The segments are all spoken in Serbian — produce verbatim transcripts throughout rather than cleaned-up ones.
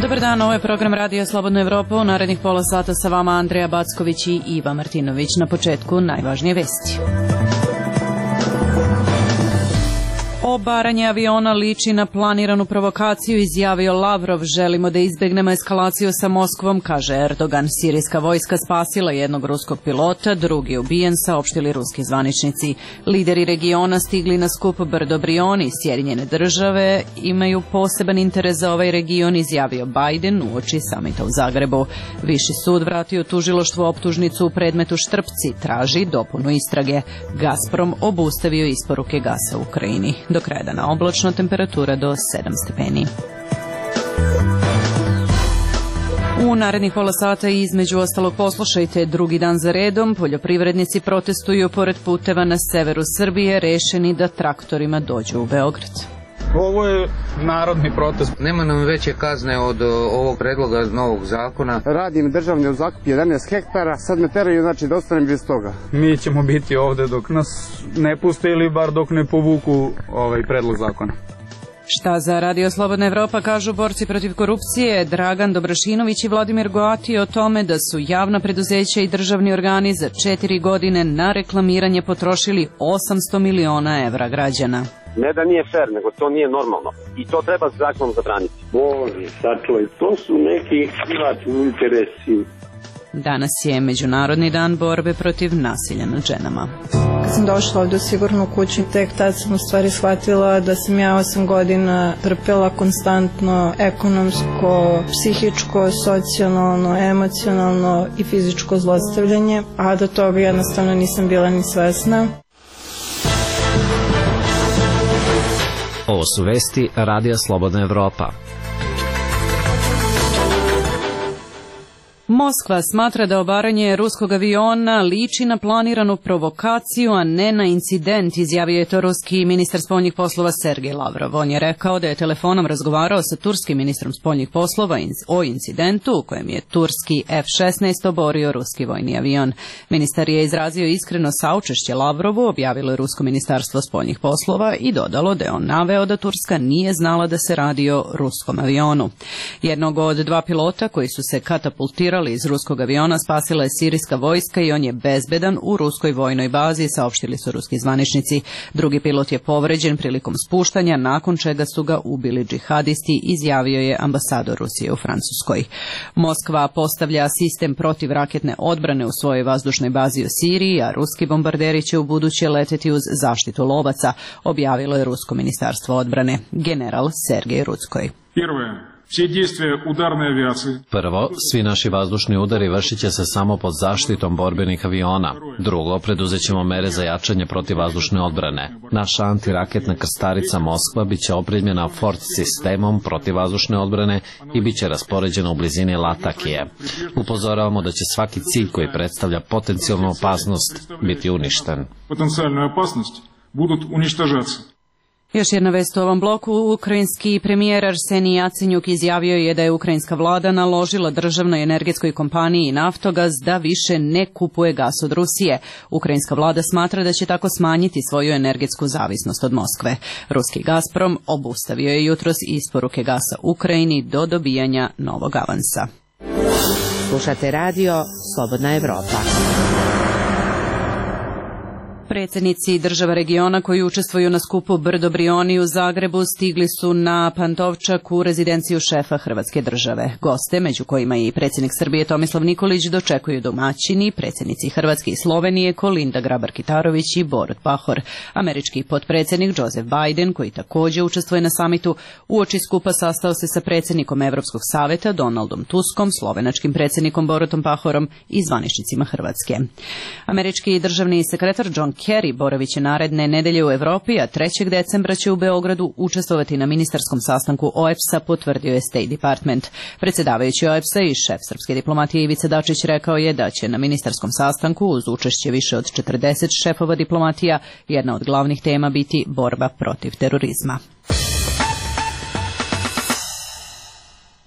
Dobar dan, ovo je program Radio Slobodna Evropa. U narednih pola sata sa vama Andreja Backović i Iva Martinović. Na početku najvažnije vesti. Obaranje aviona liči na planiranu provokaciju, izjavio Lavrov. Želimo da izbegnemo eskalaciju sa Moskvom, kaže Erdogan. Sirijska vojska spasila jednog ruskog pilota, drugi ubijen, saopštili ruski zvaničnici. Lideri regiona stigli na skup Brdo Brioni. Sjedinjene države imaju poseban interes za ovaj region, izjavio Biden uoči samita u Zagrebu. Viši sud vratio tužilaštvu optužnicu u predmetu Štrpci, traži dopunu istrage. Gazprom obustavio isporuke gasa u Ukrajini. Do kraja dana oblačno, temperatura do sedam stepeni. U narednih pola sata između ostalog poslušajte drugi dan za redom. Poljoprivrednici protestuju pored puteva na severu Srbije, rešeni da traktorima dođu u Beograd. Ovo je narodni protest. Nema nam veće kazne od ovog predloga novog zakona. Radim državni u zakupu jedanaest hektara, sad me teraju, znači da ostanem bez toga. Mi ćemo biti ovde dok nas ne puste ili bar dok ne povuku ovaj predlog zakona. Šta za Radio Slobodna Evropa kažu borci protiv korupcije Dragan Dobrašinović i Vladimir Goati o tome da su javna preduzeća i državni organi za četiri godine na reklamiranje potrošili osamsto miliona evra građana. Ne da nije fair, nego to nije normalno. I to treba zakonom zabraniti. Bože, sačuvaj, to su neki privatni interesi. Danas je Međunarodni dan borbe protiv nasilja nad ženama. Kad sam došla ovdje u sigurnu kuću, tek tad sam u stvari shvatila da sam ja osam godina trpela konstantno ekonomsko, psihičko, socijalno, emocionalno i fizičko zlostavljanje, a do toga jednostavno nisam bila ni svesna. Ovo su vesti Radija Slobodna Evropa. Moskva smatra da obaranje ruskog aviona liči na planiranu provokaciju, a ne na incident, izjavio je to ruski ministar spoljnih poslova Sergej Lavrov. On je rekao da je telefonom razgovarao sa turskim ministrom spoljnih poslova o incidentu u kojem je turski F šesnaest oborio ruski vojni avion. Ministar je izrazio iskreno saučešće Lavrovu, objavilo je rusko ministarstvo spoljnih poslova i dodalo da je on naveo da Turska nije znala da se radi o ruskom avionu. Jednog od dva pilota koji su se katapultirali iz ruskog aviona spasila je sirijska vojska i on je bezbedan u ruskoj vojnoj bazi, saopštili su ruski zvaničnici. Drugi pilot je povređen prilikom spuštanja, nakon čega su ga ubili džihadisti, izjavio je ambasador Rusije u Francuskoj. Moskva postavlja sistem protivraketne odbrane u svojoj vazdušnoj bazi u Siriji, a ruski bombarderi će u buduće leteti uz zaštitu lovaca, objavilo je rusko ministarstvo odbrane. General Sergej Rudskoj. Prvo, svi naši vazdušni udari vršit će se samo pod zaštitom borbenih aviona. Drugo, preduzet ćemo mere za jačanje protivvazdušne odbrane. Naša antiraketna krstarica Moskva bit će opremljena Ford sistemom protivvazdušne odbrane i bit će raspoređena u blizini Latakije. Upozoravamo da će svaki cilj koji predstavlja potencijalnu opasnost biti uništen. Još jedna vest u ovom bloku. Ukrajinski premijer Arsenij Jacenjuk izjavio je da je ukrajinska vlada naložila državnoj energetskoj kompaniji Naftogaz da više ne kupuje gas od Rusije. Ukrajinska vlada smatra da će tako smanjiti svoju energetsku zavisnost od Moskve. Ruski Gazprom obustavio je jutros isporuke gasa Ukrajini do dobijanja novog avansa. Slušate radio Slobodna Evropa. Predsjednici država regiona koji učestvuju na skupu Brdo Brioni u Zagrebu stigli su na Pantovčak u rezidenciju šefa Hrvatske države. Goste, među kojima i predsjednik Srbije Tomislav Nikolić, dočekuju domaćini, predsjednici Hrvatske i Slovenije Kolinda Grabar-Kitarović i Borut Pahor. Američki potpredsjednik Joseph Biden, koji također učestvuje na samitu, uoči skupa sastao se sa predsjednikom Evropskog saveta Donaldom Tuskom, slovenačkim predsjednikom Borutom Pahorom i zvaničnicima Hrvatske. Američki državni sekretar John Kerry boravit će naredne nedelje u Evropi, a trećeg decembra će u Beogradu učestvovati na ministarskom sastanku O E B S-a, potvrdio je State Department. Predsjedavajući O E B S-a i šef srpske diplomatije Ivica Dačić rekao je da će na ministarskom sastanku uz učešće više od četrdeset šefova diplomatija jedna od glavnih tema biti borba protiv terorizma.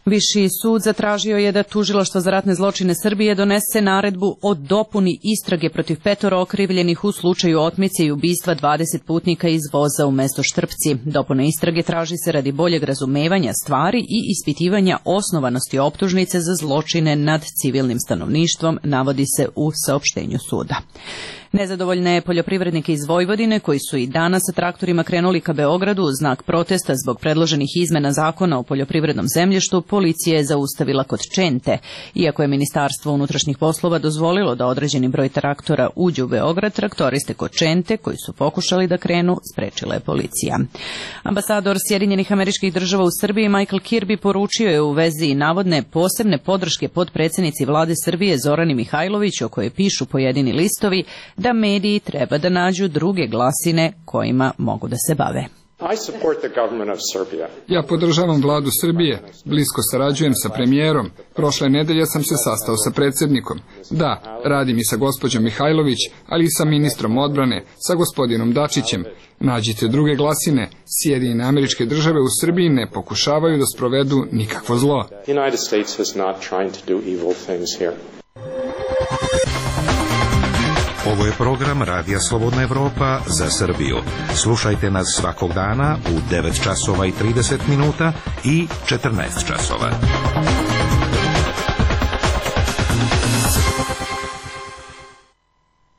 Viši sud zatražio je da tužilaštvo za ratne zločine Srbije donese naredbu o dopuni istrage protiv petoro okrivljenih u slučaju otmice i ubistva dvadeset putnika iz voza u mesto Štrpci. Dopuna istrage traži se radi boljeg razumevanja stvari i ispitivanja osnovanosti optužnice za zločine nad civilnim stanovništvom, navodi se u saopštenju suda. Nezadovoljne poljoprivrednike iz Vojvodine, koji su i danas sa traktorima krenuli ka Beogradu u znak protesta zbog predloženih izmena zakona o poljoprivrednom zemljištu, policija je zaustavila kod Čente. Iako je Ministarstvo unutrašnjih poslova dozvolilo da određeni broj traktora uđe u Beograd, traktoriste kod Čente, koji su pokušali da krenu, sprečila je policija. Ambasador Sjedinjenih Američkih Država u Srbiji Michael Kirby poručio je u vezi navodne posebne podrške podpredsednici vlade Srbije Zorani Mihajlović, o kojoj pišu pojedini listovi, da mediji treba da nađu druge glasine kojima mogu da se bave. Ja podržavam vladu Srbije, blisko sarađujem sa premijerom, prošle nedelje sam se sastao sa predsjednikom. Da, radim i sa gospođom Mihajlović, ali i sa ministrom odbrane, sa gospodinom Dačićem. Nađite druge glasine, Sjedinjene Američke Države u Srbiji ne pokušavaju da sprovedu nikakvo zlo. Ovo je program Radija Slobodna Evropa za Srbiju. Slušajte nas svakog dana u devet časova i trideset minuta i četrnaest časova.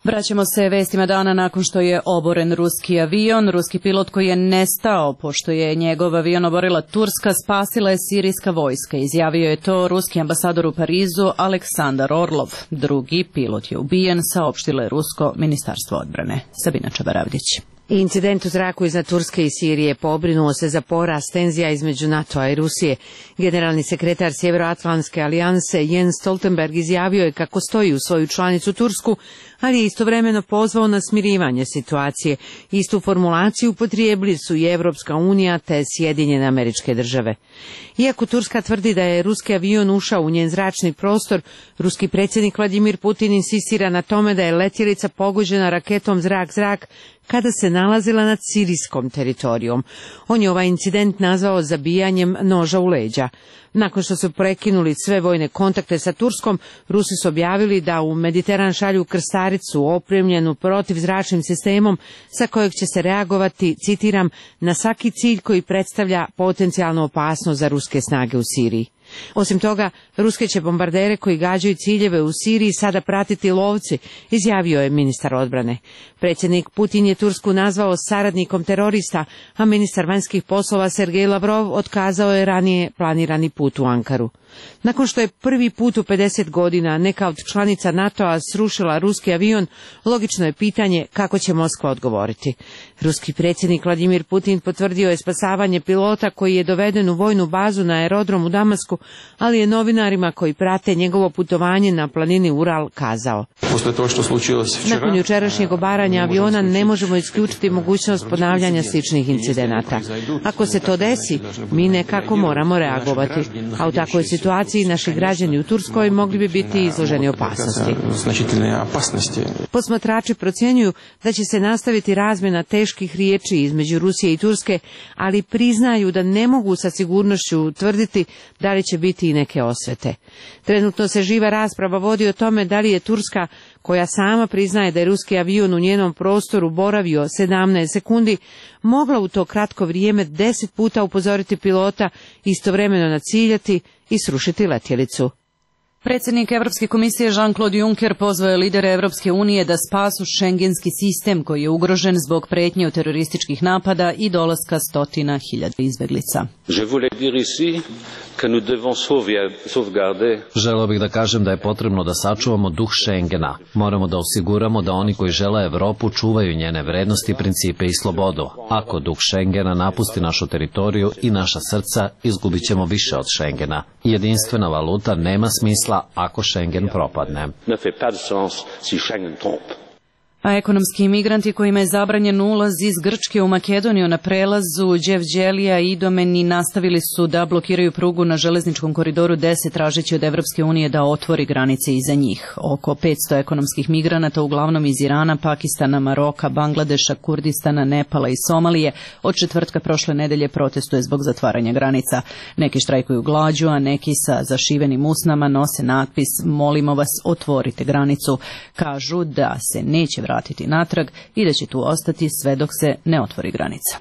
Vraćamo se vestima dana nakon što je oboren ruski avion. Ruski pilot koji je nestao, pošto je njegov avion oborila Turska, spasila je sirijska vojska. Izjavio je to ruski ambasador u Parizu Aleksandar Orlov. Drugi pilot je ubijen, saopštilo je rusko ministarstvo odbrane. Sabina Čabaravdić. Incident u zraku iznad Turske i Sirije pobrinuo se za porast tenzija između NATO-a i Rusije. Generalni sekretar Sjeveroatlantske alijanse Jens Stoltenberg izjavio je kako stoji u svoju članicu Tursku, ali je istovremeno pozvao na smirivanje situacije. Istu formulaciju upotrijebili su i Evropska unija te Sjedinjene Američke Države. Iako Turska tvrdi da je ruski avion ušao u njen zračni prostor, ruski predsjednik Vladimir Putin insistira na tome da je letjelica pogođena raketom zrak-zrak kada se nalazila nad sirijskom teritorijom. On je ovaj incident nazvao zabijanjem noža u leđa. Nakon što su prekinuli sve vojne kontakte sa Turskom, Rusi su objavili da u Mediteran šalju krstaricu opremljenu protivzračnim sistemom sa kojeg će se reagovati, citiram, na svaki cilj koji predstavlja potencijalnu opasnost za ruske snage u Siriji. Osim toga, ruske će bombardere koji gađaju ciljeve u Siriji sada pratiti lovci, izjavio je ministar odbrane. Predsjednik Putin je Tursku nazvao saradnikom terorista, a ministar vanjskih poslova Sergej Lavrov otkazao je ranije planirani put u Ankaru. Nakon što je prvi put u pedeset godina neka od članica NATO-a srušila ruski avion, logično je pitanje kako će Moskva odgovoriti. Ruski predsjednik Vladimir Putin potvrdio je spasavanje pilota koji je doveden u vojnu bazu na aerodrom u Damasku, ali je novinarima koji prate njegovo putovanje na planini Ural kazao: nakon jučerašnjeg obaranja aviona ne možemo isključiti mogućnost ponavljanja sličnih incidenata. Ako se to desi, mi nekako moramo reagovati, a u takvoj situaciji naši građani u Turskoj mogli bi biti izloženi opasnosti. Posmatrači procjenjuju da će se nastaviti razmjena teških riječi između Rusije i Turske, ali priznaju da ne mogu sa sigurnošću tvrditi da li će biti i neke osvete. Trenutno se živa rasprava vodi o tome da li je Turska, koja sama priznaje da je ruski avion u njenom prostoru boravio sedamnaest sekundi, mogla u to kratko vrijeme deset puta upozoriti pilota, istovremeno naciljati i srušiti letjelicu. Predsjednik Evropske komisije Jean-Claude Juncker pozvao je lidere Evropske unije da spasu šengenski sistem koji je ugrožen zbog pretnje od terorističkih napada i dolaska stotina hiljada izbeglica. Želeo bih da kažem da je potrebno da sačuvamo duh Schengena. Moramo da osiguramo da oni koji žele Evropu čuvaju njene vrednosti, principe i slobodu. Ako duh Schengena napusti našu teritoriju i naša srca, izgubit ćemo više od Schengena. Jedinstvena valuta nema smisla ako Schengen propadne. A ekonomski imigranti kojima je zabranjen ulaz iz Grčke u Makedoniju na prelazu Đevđelija i Idomeni nastavili su da blokiraju prugu na železničkom koridoru deset tražeći od Evropske unije da otvori granice iza njih. Oko petsto ekonomskih migranata, uglavnom iz Irana, Pakistana, Maroka, Bangladeša, Kurdistana, Nepala i Somalije, od četvrtka prošle nedelje protestuje zbog zatvaranja granica. Neki štrajkuju glađu, a neki sa zašivenim usnama nose natpis "Molimo vas, otvorite granicu". Kažu da se neće vratiti vratiti natrag i da će tu ostati sve dok se ne otvori granica.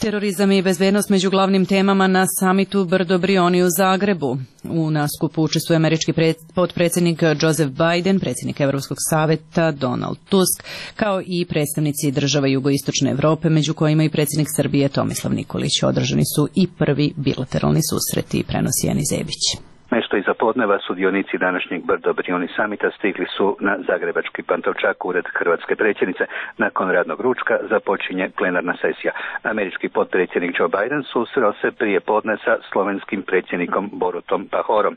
Terorizam i bezbednost među glavnim temama na samitu Brdo Brioni u Zagrebu. U naskupu učestvuje američki potpredsjednik Joseph Biden, predsjednik Evropskog saveta Donald Tusk, kao i predstavnici država jugoistočne Evrope, među kojima i predsjednik Srbije Tomislav Nikolić. Održani su i prvi bilateralni susreti, prenosi Jani Zebić. Nešto iza podneva sudionici današnjeg Brdo Brioni samita stigli su na zagrebački Pantovčak, ured hrvatske predsjednice. Nakon radnog ručka započinje plenarna sesija. Američki potpredsjednik Joe Biden susreo se prije podne sa slovenskim predsjednikom Borutom Pahorom.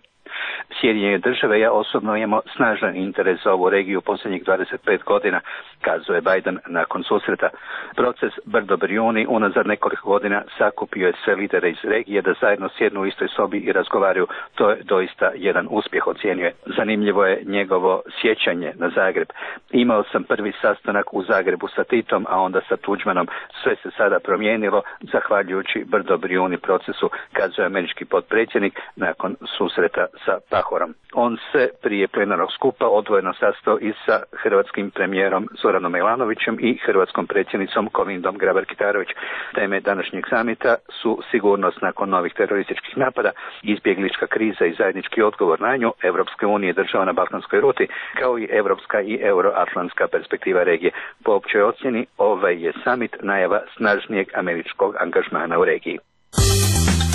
Sjedinjene države, ja osobno imamo snažan interes za ovu regiju posljednjih dvadeset pet godina, kazuje Biden nakon susreta. Proces Brdo Brioni unazad nekoliko godina sakupio je sve lidere iz regije da zajedno sjednu u istoj sobi i razgovaraju. To je doista jedan uspjeh, ocjenjuje. Zanimljivo je njegovo sjećanje na Zagreb. Imao sam prvi sastanak u Zagrebu sa Titom, a onda sa Tuđmanom. Sve se sada promijenilo zahvaljujući Brdo Brioni procesu, kazuje američki potpredsjednik nakon susreta sa Pahorom. On se prije plenarnog skupa odvojeno sastao i sa hrvatskim premijerom Zoranom Milanovićem i hrvatskom predsjednicom Kolindom Grabar-Kitarović. Teme današnjeg samita su sigurnost nakon novih terorističkih napada, izbjeglička kriza i zajednički odgovor na nju, Evropske unije država na balkanskoj ruti, kao i evropska i euroatlantska perspektiva regije. Po općoj ocjeni, ovaj je samit najava snažnijeg američkog angažmana u regiji.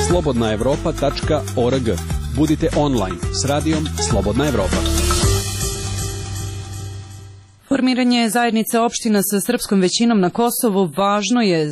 slobodna evropa tačka org. Budite online s radijom Slobodna Evropa. Formiranje zajednice opština sa srpskom većinom na Kosovu važno je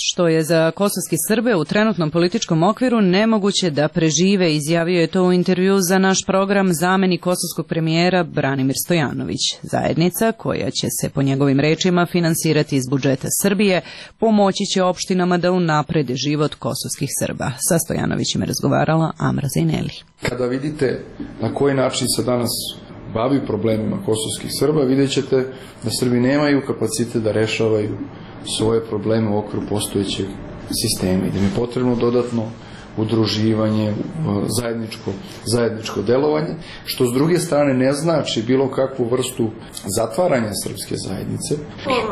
što je za kosovski Srbe u trenutnom političkom okviru nemoguće da prežive, izjavio je to u intervju za naš program zamenik kosovskog premijera Branimir Stojanović. Zajednica, koja će se po njegovim rečima finansirati iz budžeta Srbije, pomoći će opštinama da unaprede život kosovskih Srba. Sa Stojanovićem je razgovarala Amra Zajneli. Kada vidite na koji način se danas bavi problemima kosovskih Srba, vidjet ćete da Srbi nemaju kapacitet da rešavaju svoje probleme u okviru postojećeg sistema i da im je potrebno dodatno udruživanje, zajedničko, zajedničko delovanje, što s druge strane ne znači bilo kakvu vrstu zatvaranja srpske zajednice.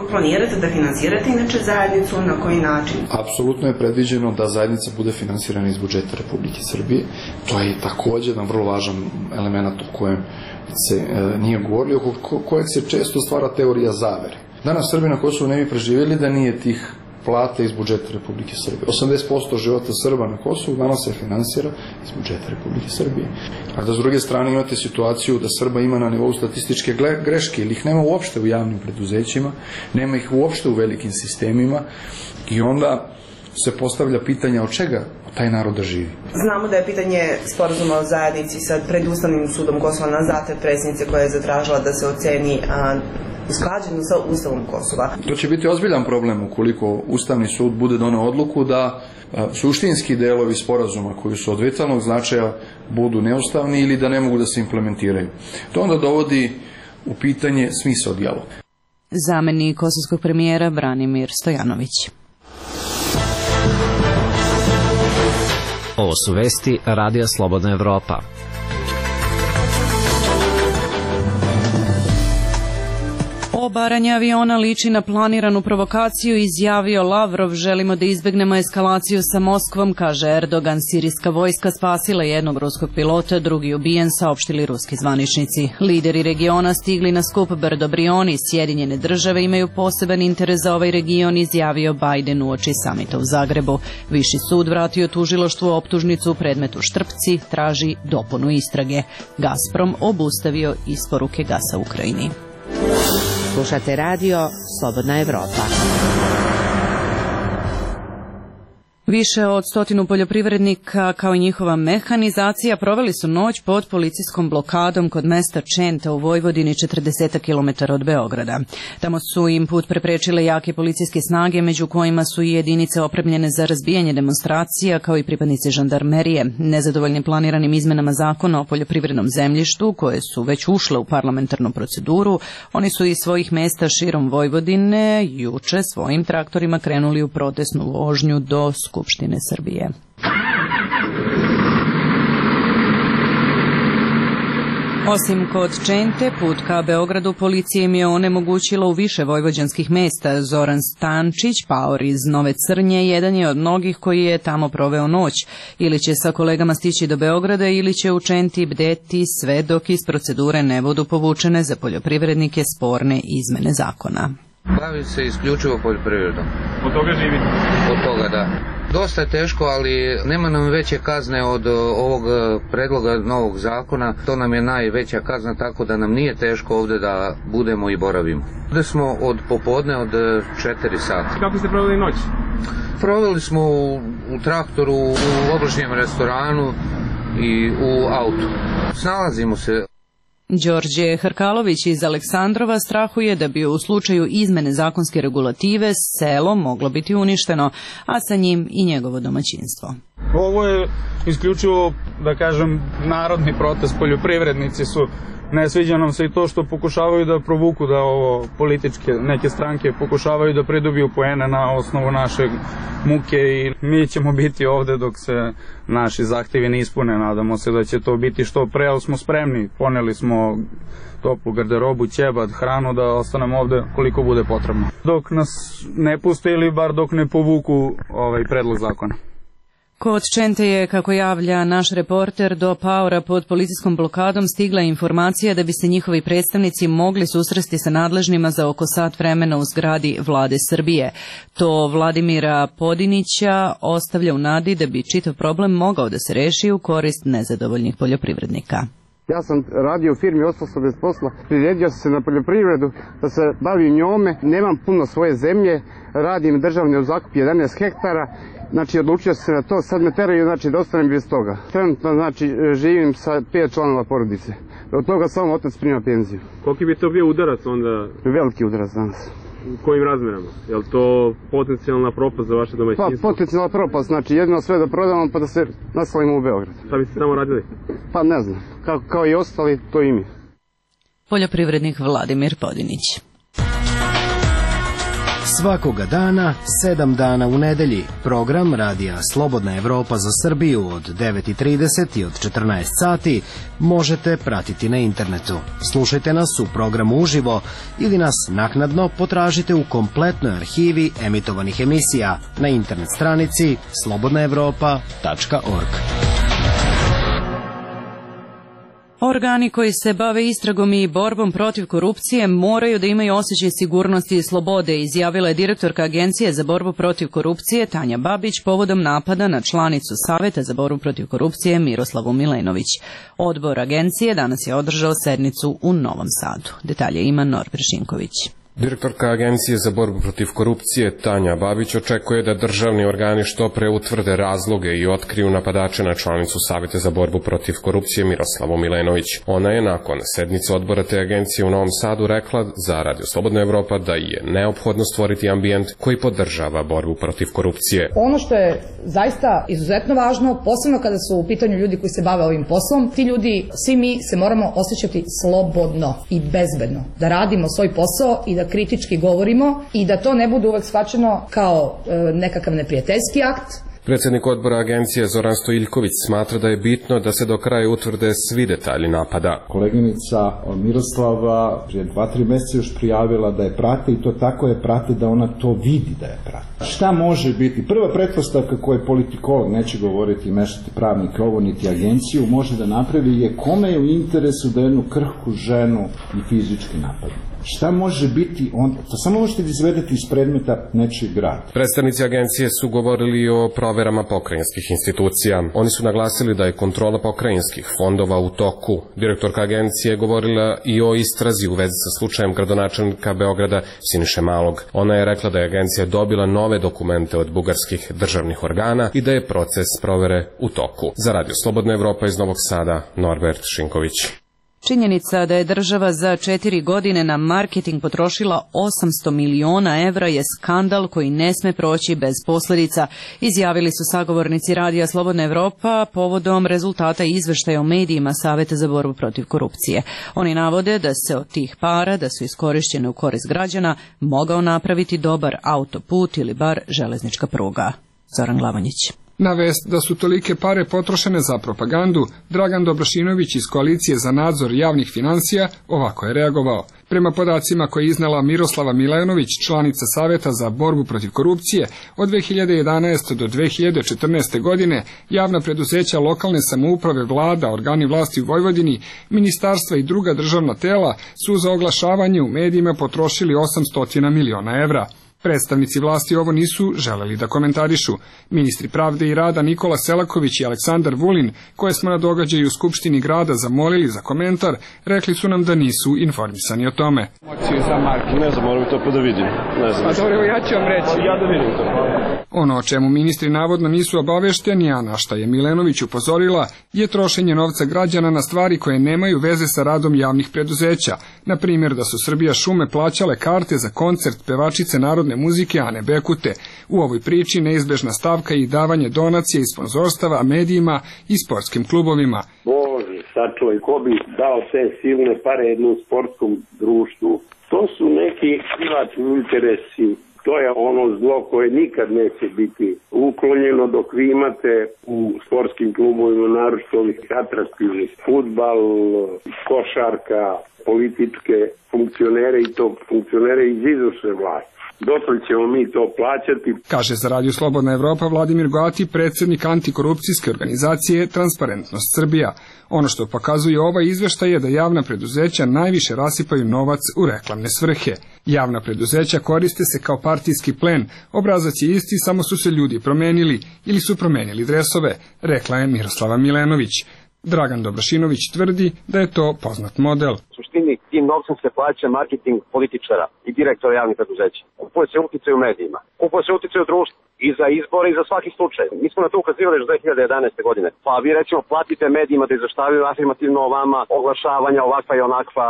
Planirate da finansirate inače zajednicu, na koji način? Apsolutno je predviđeno da zajednica bude finansirana iz budžeta Republike Srbije. To je također jedan vrlo važan element o kojem se e, nije govorili, oko kojeg se često stvara teorija zavere. Danas Srbi na Kosovu ne bi preživjeli da nije tih plata iz budžeta Republike Srbije. osamdeset posto života Srba na Kosovu danas se finansira iz budžeta Republike Srbije. A da s druge strane imate situaciju da Srba ima na nivou statističke greške ili ih nema uopšte u javnim preduzećima, nema ih uopšte u velikim sistemima i onda se postavlja pitanja od čega taj narod da živi. Znamo da je pitanje sporazuma o zajednici sa pred Ustavnim sudom Kosova na zahtev predsjednice koja je zatražila da se oceni a, usklađeno sa Ustavom Kosova. To će biti ozbiljan problem ukoliko Ustavni sud bude doneo odluku da a, suštinski delovi sporazuma koji su od vitalnog značaja budu neustavni ili da ne mogu da se implementiraju. To onda dovodi u pitanje smisao dijaloga. Zamenik kosovskog premijera Branimir Stojanović. Ovo su vesti Radija Slobodna Evropa. Obaranje aviona liči na planiranu provokaciju, izjavio Lavrov. Želimo da izbegnemo eskalaciju sa Moskvom, kaže Erdogan. Sirijska vojska spasila jednog ruskog pilota, drugi ubijen, saopštili ruski zvaničnici. Lideri regiona stigli na skup Brdo Brioni. Sjedinjene države imaju poseban interes za ovaj region, izjavio Biden uoči samita u Zagrebu. Viši sud vratio tužilaštvu optužnicu u predmetu Štrpci, traži dopunu istrage. Gazprom obustavio isporuke gasa Ukrajini. Slušate radio Slobodna Evropa. Više od stotinu poljoprivrednika kao i njihova mehanizacija proveli su noć pod policijskom blokadom kod mesta Čenta u Vojvodini, četrdeset kilometara od Beograda. Tamo su im put preprečile jake policijske snage, među kojima su i jedinice opremljene za razbijanje demonstracija, kao i pripadnici žandarmerije. Nezadovoljni planiranim izmenama zakona o poljoprivrednom zemljištu, koje su već ušle u parlamentarnu proceduru, oni su iz svojih mesta širom Vojvodine juče svojim traktorima krenuli u protestnu vožnju do Skupštine Srbije. Osim kod Čente, put ka Beogradu policija im je onemogućila u više vojvođanskih mesta. Zoran Stančić, paor iz Nove Crnje, jedan je od mnogih koji je tamo proveo noć. Ili će sa kolegama stići do Beograda ili će u Čenti bdeti sve dok iz procedure ne budu povučene za poljoprivrednike sporne izmene zakona. Bavim se isključivo poljoprivredom. Od toga živite? Od toga, da. Dosta je teško, ali nema nam veće kazne od ovog predloga novog zakona. To nam je najveća kazna, tako da nam nije teško ovde da budemo i boravimo. Ovde smo od popodne od četiri sata. Kako ste proveli noć? Proveli smo u, u traktoru, u obližnjem restoranu i u autu. Snalazimo se. Đorđe Hrkalović iz Aleksandrova strahuje da bi u slučaju izmene zakonske regulative selo moglo biti uništeno, a sa njim i njegovo domaćinstvo. Ovo je isključivo, da kažem, narodni protest. Poljoprivrednici su, ne sviđa nam se i to što pokušavaju da provuku, da ovo političke neke stranke pokušavaju da pridobiju poene na osnovu naše muke i mi ćemo biti ovde dok se naši zahtevi ne ispune. Nadamo se da će to biti što pre, ali smo spremni. Poneli smo toplu garderobu, ćebad, hranu da ostanemo ovde koliko bude potrebno. Dok nas ne puste ili bar dok ne povuku ovaj predlog zakona. Kod Čente je, kako javlja naš reporter, do paora pod policijskom blokadom stigla informacija da bi se njihovi predstavnici mogli susresti sa nadležnima za oko sat vremena u zgradi Vlade Srbije. To Vladimira Podinića ostavlja u nadi da bi čitav problem mogao da se reši u korist nezadovoljnih poljoprivrednika. Ja sam radio u firmi, ostao sam bez posla, priredio sam se na poljoprivredu, da se bavim njome, nemam puno svoje zemlje, radim državni u zakup jedanaest hektara, znači odlučio sam se na to, sad me teraju, znači da ostanem bez toga. Trenutno, znači, živim sa pet članova porodice, od toga samo otac prima penziju. Koliki bi to bio udarac onda? Veliki udarac danas. U kojim razmerama? Je li to potencijalna propast za vaše domaćinstvo? Pa, potencijalna propast, znači jedino sve da prodamo pa da se naselimo u Beograd. Šta biste tamo radili? Pa ne znam, kao, kao i ostali, to i mi. Poljoprivrednik Vladimir Podinić. Svakoga dana, sedam dana u nedelji, program radija Slobodna Evropa za Srbiju od devet i trideset i od četrnaest sati možete pratiti na internetu. Slušajte nas u programu uživo ili nas naknadno potražite u kompletnoj arhivi emitovanih emisija na internet stranici slobodna evropa tačka org. Organi koji se bave istragom i borbom protiv korupcije moraju da imaju osjećaj sigurnosti i slobode, izjavila je direktorka Agencije za borbu protiv korupcije Tanja Babić povodom napada na članicu Saveta za borbu protiv korupcije Miroslavu Milenović. Odbor Agencije danas je održao sednicu u Novom Sadu. Detalje ima Norbert Šinković. Direktorka Agencije za borbu protiv korupcije Tanja Babić očekuje da državni organi što pre utvrde razloge i otkriju napadače na članicu Saveta za borbu protiv korupcije Miroslavu Milenović. Ona je nakon sednice odbora te agencije u Novom Sadu rekla za Radio Slobodna Evropa da je neophodno stvoriti ambijent koji podržava borbu protiv korupcije. Ono što je zaista izuzetno važno, posebno kada su u pitanju ljudi koji se bave ovim poslom, ti ljudi, svi mi se moramo osjećati slobodno i bezbedno, da radimo svoj posao i da kritički govorimo i da to ne bude uvek shvaćeno kao e, nekakav neprijateljski akt. Predsednik odbora agencije Zoran Stojiljković smatra da je bitno da se do kraja utvrde svi detalji napada. Koleginica Miroslava prije dva, tri meseca još prijavila da je prate i to tako je prate da ona to vidi da je prate. Šta može biti? Prva pretpostavka koju politikolog, neće govoriti i mešati pravnike ovo niti agenciju, može da napravi je kome je u interesu da jednu krhku ženu i fizički napadne. Šta može biti onda? To samo možete da izvedete iz predmeta nečijeg rada. Predstavnici agencije su govorili o proverama pokrajinskih institucija. Oni su naglasili da je kontrola pokrajinskih fondova u toku. Direktorka agencije je govorila i o istrazi u vezi sa slučajem gradonačelnika Beograda Siniše Malog. Ona je rekla da je agencija dobila nove dokumente od bugarskih državnih organa i da je proces provere u toku. Za Radio Slobodna Evropa iz Novog Sada, Norbert Šinković. Činjenica da je država za četiri godine na marketing potrošila osamsto miliona evra je skandal koji ne sme proći bez posljedica, izjavili su sagovornici Radija Slobodna Evropa povodom rezultata izveštaja o medijima Saveta za borbu protiv korupcije. Oni navode da se od tih para, da su iskorišćene u korist građana, mogao napraviti dobar autoput ili bar železnička pruga. Zoran Glavonjić. Na vest da su tolike pare potrošene za propagandu, Dragan Dobrašinović iz Koalicije za nadzor javnih financija ovako je reagovao. Prema podacima koje je iznala Miroslava Milenović, članica Saveta za borbu protiv korupcije, od dve hiljade jedanaeste. do dve hiljade četrnaeste. godine javna preduzeća lokalne samouprave, vlada, organi vlasti u Vojvodini, ministarstva i druga državna tela su za oglašavanje u medijima potrošili osamsto miliona evra. Predstavnici vlasti ovo nisu želeli da komentarišu. Ministri pravde i rada Nikola Selaković i Aleksandar Vulin, koje smo na događaju u Skupštini grada zamolili za komentar, rekli su nam da nisu informisani o tome. Ne znam, moram to pa da vidim. Ne znam. Pa dobro, ja ću vam reći. Ja da vidim to. Ono o čemu ministri navodno nisu obavešteni, a na šta je Milenović upozorila, je trošenje novca građana na stvari koje nemaju veze sa radom javnih preduzeća. Na primjer da su Srbija šume plaćale karte za koncert pevačice narodne muzike Ane Bekute. U ovoj priči neizbežna stavka i davanje donacija i sponzorstava medijima i sportskim klubovima. Bože, sačuvaj, ko bi dao te silne pare jednom sportskom društvu? To su neki privatni interesi. To je ono zlo koje nikad neće biti uklonjeno dok vi imate u sportskim klubovima, naročito ovih atraktivnih, fudbal, košarka, političke funkcionere i to funkcionere iz izvršne vlasti. Dotle ćemo mi to plaćati. Kaže za Radio Slobodna Evropa Vladimir Goati, predsjednik antikorupcijske organizacije Transparentnost Srbija. Ono što pokazuje ovaj izveštaj je da javna preduzeća najviše rasipaju novac u reklamne svrhe. Javna preduzeća koriste se kao partijski plen, obrazac je isti, samo su se ljudi promenili ili su promenili dresove, rekla je Miroslava Milenović. Dragan Dobrašinović tvrdi da je to poznat model. U suštini tim novcem se plaća marketing političara i direktora javnih preduzeća. Kupuje se uticaj u medijima, kupuje se uticaj u društvu i za izbore i za svaki slučaj. Mi smo na to ukazivali još dve hiljade jedanaeste. godine. Pa vi recimo platite medijima da izveštavaju afirmativno o vama, oglašavanja ovakva i onakva,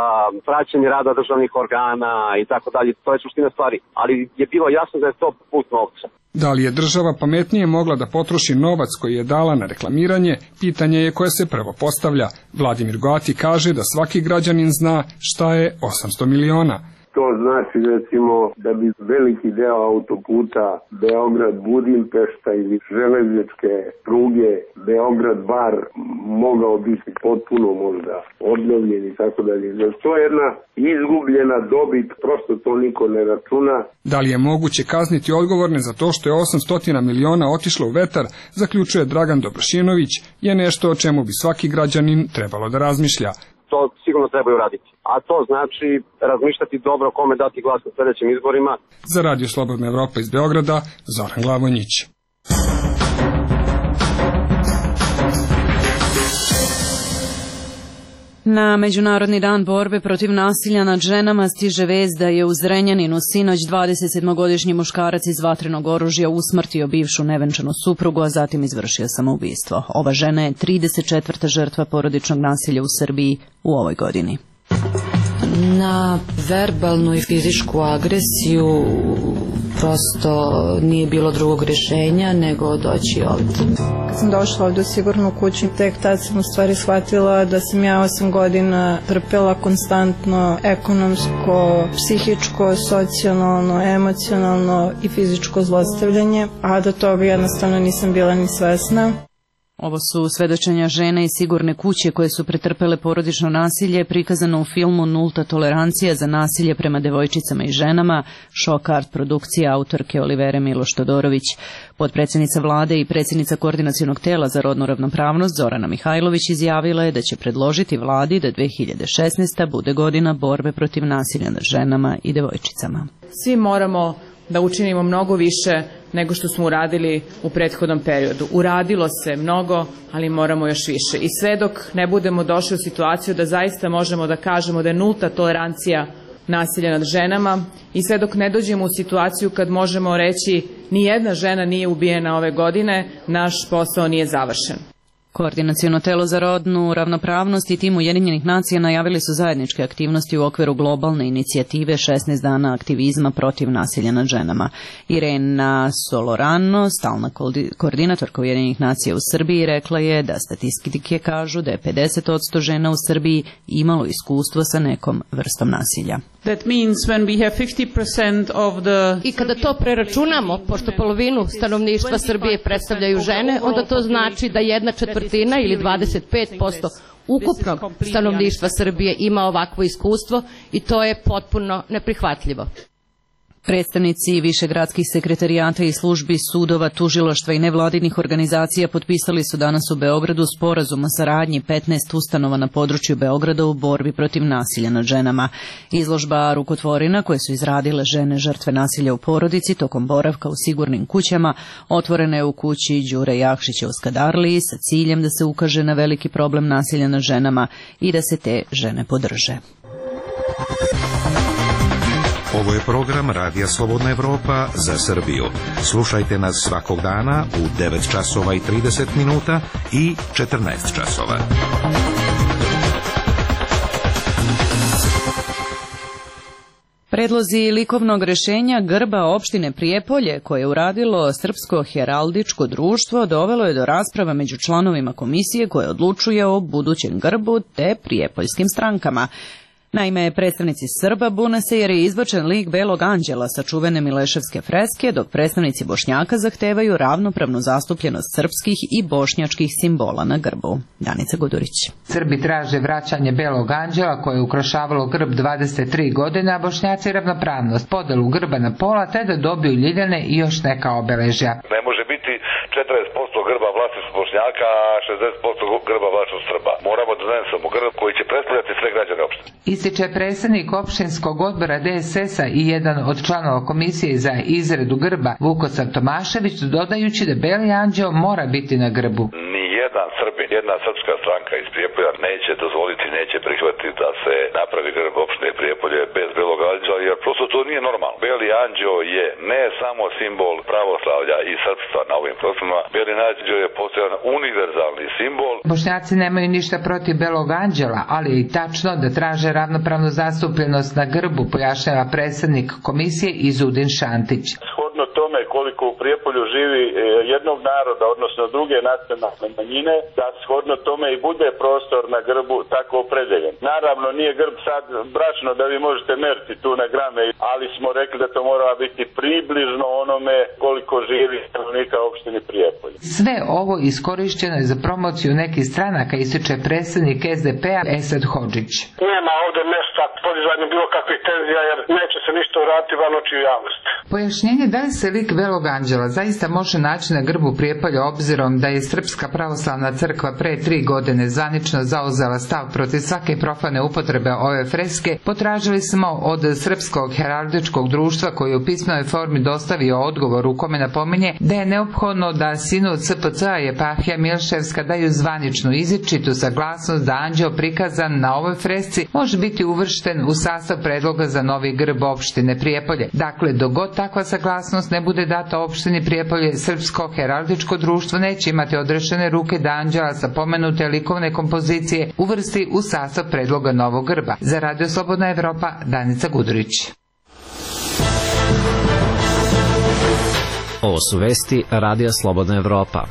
praćenje rada državnih organa i tako dalje. To je suština stvari. Ali je bilo jasno da je to put novca. Da li je država pametnije mogla da potroši novac koji je dala na reklamiranje, pitanje je koje se prvo postavlja. Vladimir Goati kaže da svaki građanin zna šta je osamsto miliona. To znači recimo da bi veliki deo autoputa Beograd-Budimpešta ili železničke pruge Beograd-Bar mogao biti potpuno možda obnovljen i tako dalje. To je jedna izgubljena dobit, prosto to niko ne računa. Da li je moguće kazniti odgovorne za to što je osamsto miliona otišlo u vetar, zaključuje Dragan Dobrašinović, je nešto o čemu bi svaki građanin trebalo da razmišlja. To sigurno trebaju raditi. A to znači razmišljati dobro kome dati glas na sljedećim izborima. Za Radio Slobodna Evropa iz Beograda, Zoran Glavonjić. Na Međunarodni dan borbe protiv nasilja nad ženama stiže vest da je u Zrenjaninu sinoć dvadesetsedmogodišnji muškarac iz vatrenog oružja usmrtio bivšu nevenčanu suprugu, a zatim izvršio samoubistvo. Ova žena je trideset četvrta žrtva porodičnog nasilja u Srbiji u ovoj godini. Na verbalnu i fizičku agresiju prosto nije bilo drugog rješenja nego doći ovdje. Kad sam došla ovdje u sigurnu kuću, tek tad sam u stvari shvatila da sam ja osam godina trpela konstantno ekonomsko, psihičko, socijalno, emocionalno i fizičko zlostavljanje, a da toga jednostavno nisam bila ni svesna. Ovo su svedočenja žene iz sigurne kuće koje su pretrpele porodično nasilje, prikazano u filmu Nulta tolerancija za nasilje prema devojčicama i ženama, Šok art produkcija autorke Olivere Miloš Todorović. Potpredsjednica vlade i predsjednica koordinacionog tela za rodnu ravnopravnost Zorana Mihajlović izjavila je da će predložiti vladi da dve hiljade šesnaesta. bude godina borbe protiv nasilja nad ženama i devojčicama. Svi moramo da učinimo mnogo više nego što smo uradili u prethodnom periodu. Uradilo se mnogo, ali moramo još više. I sve dok ne budemo došli u situaciju da zaista možemo da kažemo da je nulta tolerancija nasilja nad ženama i sve dok ne dođemo u situaciju kad možemo reći ni jedna žena nije ubijena ove godine, naš posao nije završen. Koordinaciono telo za rodnu ravnopravnost i tim Ujedinjenih nacija najavili su zajedničke aktivnosti u okviru globalne inicijative šesnaest dana aktivizma protiv nasilja nad ženama. Irena Solorano, stalna koordinatorka Ujedinjenih nacija u Srbiji, rekla je da statistike kažu da je pedeset posto žena u Srbiji imalo iskustvo sa nekom vrstom nasilja. That means when we have fifty percent of the... I kada to preračunamo, pošto polovinu stanovništva Srbije predstavljaju žene, onda to znači da jedna četvrtina ili dvadeset pet posto ukupnog stanovništva Srbije ima ovakvo iskustvo i to je potpuno neprihvatljivo. Predstavnici višegradskih sekretarijata i službi sudova, tužilaštva i nevladinih organizacija potpisali su danas u Beogradu sporazum o saradnji petnaest ustanova na području Beograda u borbi protiv nasilja nad ženama. Izložba rukotvorina koje su izradile žene žrtve nasilja u porodici tokom boravka u sigurnim kućama otvorena je u kući Đure Jakšića u Skadarliji sa ciljem da se ukaže na veliki problem nasilja nad ženama i da se te žene podrže. Ovo je program Radija Slobodna Evropa za Srbiju. Slušajte nas svakog dana u devet časova i trideset minuta i četrnaest časova. Predlozi likovnog rešenja grba opštine Prijepolje, koje je uradilo Srpsko heraldičko društvo, dovelo je do rasprava među članovima komisije koje odlučuje o budućem grbu te prijepoljskim strankama. Naime, predstavnici Srba bune se jer je izbačen lik Belog anđela sa čuvene Mileševske freske, dok predstavnici Bošnjaka zahtevaju ravnopravnu zastupljenost srpskih i bošnjačkih simbola na grbu. Danica Gudurić. Srbi traže vraćanje Belog anđela koje je ukrašavalo grb dvadeset tri godine, a Bošnjaci ravnopravnost, podelu grba na pola te da dobiju ljiljane i još neka obeležja. Ne može biti četrdeset posto grba vlasništvo Bošnjaka, a šezdeset posto grba vlasništvo Srba. Moramo da donesemo grb koji će predstavljati sve građane opštine. Ističe predsednik opštinskog odbora D S S-a i jedan od članova komisije za izradu grba Vukosav Tomašević, dodajući da Beli anđeo mora biti na grbu. Jedan Srbin, jedna srpska stranka iz Prijepolja neće dozvoliti, neće prihvatiti da se napravi grb opštine Prijepolje bez Belog anđela, jer prosto to nije normalno. Beli anđeo je ne samo simbol pravoslavlja i srpstva na ovim prostorima, Beli anđeo je postojan univerzalni simbol. Bošnjaci nemaju ništa protiv Belog anđela, ali je i tačno da traže ravnopravnu zastupljenost na grbu, pojašnjava predsednik komisije Izudin Šantić. Shodno tome koliko u Prijepolju živi jednog naroda, odnosno druge nacionalne manjine, da shodno tome i bude prostor na grbu tako opredeljen. Naravno, nije grb sad bračno da vi možete meriti tu na grame, ali smo rekli da to mora biti približno onome koliko živi stanovnika opštine Prijepolje. Sve ovo iskorišćeno je za promociju nekih stranaka, ističe predsednik S D P-a Esad Hodžić. Nema ovde mesta podizanju bilo kakvih tenzija, jer neće se ništa uraditi van očiju javnosti. Pojašnjenje da li se lik Belog anđela zaista može naći na grbu Prijepolja, obzirom da je Srpska pravoslavna crkva pre tri godine zvanično zauzela stav protiv svake profane upotrebe ove freske, potražili smo od Srpskog heraldičkog društva koji je u pismenoj formi dostavio odgovor u kome napominje da je neophodno da sinod S P C-a i eparhija Milševska daju zvaničnu izričitu saglasnost da anđeo prikazan na ovoj fresci može biti uvršten u sastav predloga za novi grb opštine Prijepolje. Dakle, dok god takva saglasnost ne bude data opštini Prijepolje, Srpsko heraldičko društvo neće imati odrešene ruke da anđela sa pomenute likovne kompozicije uvrsti u sastav predloga novog grba. Za Radio Slobodna Evropa, Danica Gudurić. Ovo su vesti Radija Slobodna Evropa.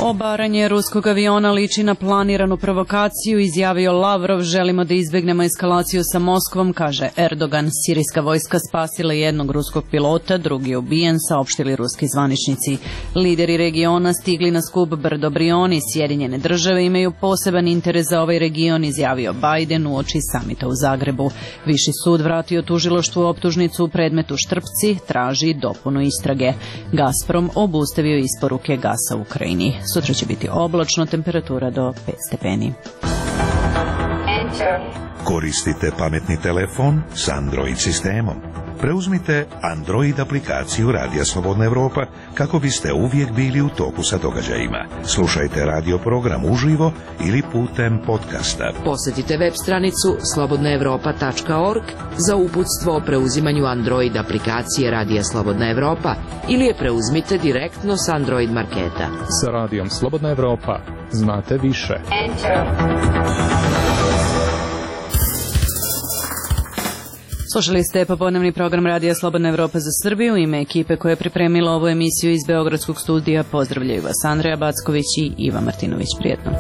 Obaranje ruskog aviona liči na planiranu provokaciju, izjavio Lavrov, želimo da izbegnemo eskalaciju sa Moskvom, kaže Erdogan. Sirijska vojska spasila jednog ruskog pilota, drugi je ubijen, saopštili ruski zvaničnici. Lideri regiona stigli na skup Brdo Brioni, Sjedinjene države imaju poseban interes za ovaj region, izjavio Biden uoči samita u Zagrebu. Viši sud vratio tužilaštvu optužnicu u predmetu Štrpci, traži dopunu istrage. Gazprom obustavio isporuke gasa u Ukrajini. Sutra će biti oblačno, temperatura do pet stepeni. Koristite pametni telefon s Android sistemom. Preuzmite Android aplikaciju Radija Slobodna Evropa kako biste uvijek bili u toku sa događajima. Slušajte radio program uživo ili putem podcasta. Posjetite web stranicu slobodna evropa tačka org za uputstvo o preuzimanju Android aplikacije Radija Slobodna Evropa ili je preuzmite direktno s Android marketa. Sa Radijom Slobodna Evropa znate više. Slušali ste popodnevni program Radija Slobodna Evropa za Srbiju. Ime ekipe koja je pripremila ovu emisiju iz Beogradskog studija pozdravljaju vas Andreja Backović i Iva Martinović. Prijetno.